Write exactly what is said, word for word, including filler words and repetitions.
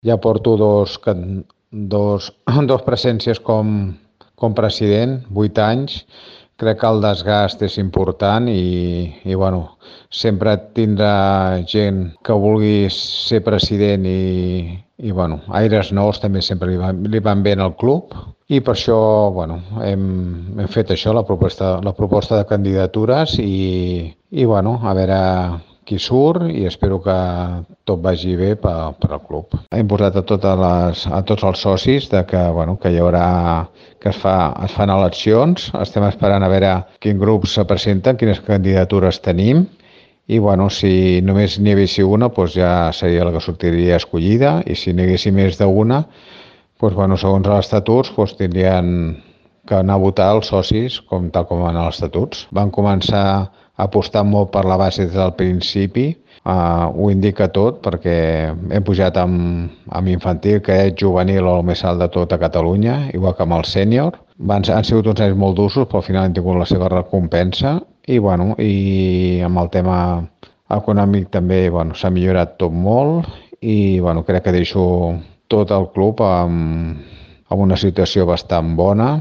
Ja porto dos, can- dos, dos presències com, com president, vuit anys. Crec que el desgast és important i, i bueno, sempre tindrà gent que vulgui ser president i, i bueno, aires nous també sempre li van, li van bé al club i per això bueno, hem, hem fet això, la proposta, la proposta de candidatures i, i bueno, a veure qui surt i espero que tot vagi bé per, per al club. Hem posat a, totes les, a tots els socis de que, bueno, que hi haurà que es, fa, es fan eleccions, estem esperant a veure quins grups se presenten, quines candidatures tenim i bueno, si només n'hi hagués una doncs ja seria la que sortiria escollida i si n'hi hagués més d'una doncs, bueno, segons els estatuts doncs, tindrien que anar a votar els socis com tal com van els estatuts. Van començar a apostar molt per la base des del principi, uh, ho indica tot perquè hem pujat amb, amb infantil, que és juvenil o el més alt de tot a Catalunya, igual que amb el sènior. Van, han sigut uns anys molt durs, però al final han tingut la seva recompensa i, bueno, i amb el tema econòmic també bueno, s'ha millorat tot molt i bueno, crec que deixo tot el club amb, amb una situació bastant bona.